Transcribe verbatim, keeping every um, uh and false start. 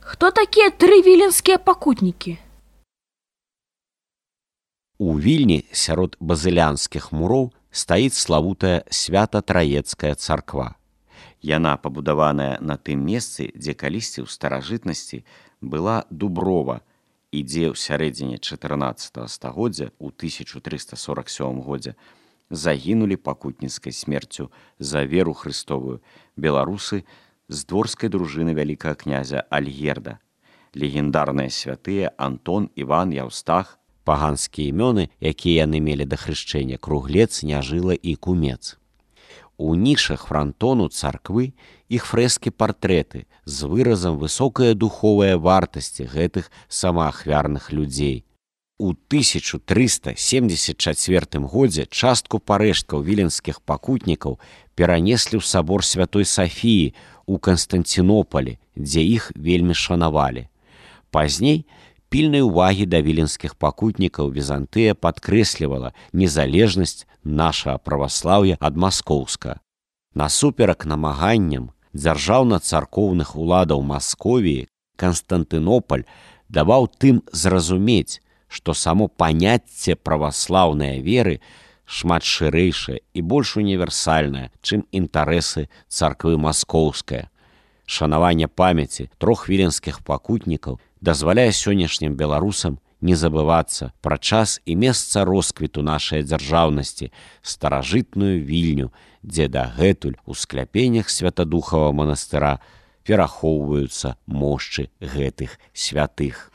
Хто такія тры віленскія пакутнікі? У Вільні сярод базылянскіх муроў стаіць славутая Свята-Траецкая царква. Яна пабудаваная на тым месцы, дзе калісьці ў старажытнасці была дуброва і дзе ў сярэдзіне чатырнаццатага стагоддзя ў тысяча трыста сорак сёмым годзе загінулі пакутніцкай смерцю за веру хрыстовую беларусы з дворскай дружыны вялікага князя Альгерда, легендарныя святыя Антон, Іван, Яўстах, паганскія імёны, якія яны мелі да хрышчэння, Круглец, Няжыла і Кумец. У нішах франтону царквы іх фрэскі-партрэты з выразам высокая духовая вартасці гэтых самаахвярных людзей. У тысяча трыста семдзесят чацвёртым годзе частку парэшткаў віленскіх пакутнікаў перанеслі ў сабор Святой Сафіі ў Канстанцінопалі, дзе іх вельмі шанавалі. Пазней пільнай увагі да віленскіх пакутнікаў Візантыя падкрэслівала незалежнасць нашага праваслаўя ад маскоўска. Насуперак намаганням дзяржаўна-царкоўных уладаў Масковіі Канстантынополь даваў тым зразумець, што само паняцце праваслаўнай веры шмат шырэйшае і больш універсальнае, чым інтарэсы царквы маскоўская. Шанаванне памяці трох віленскіх пакутнікаў дазваляе сённяшнім беларусам не забывацца пра час і месца росквіту нашай дзяржаўнасці, старажытную Вільню, дзе дагэтуль у скляпеннях Святадухавага манастыра перахоўваюцца мошчы гэтых святых.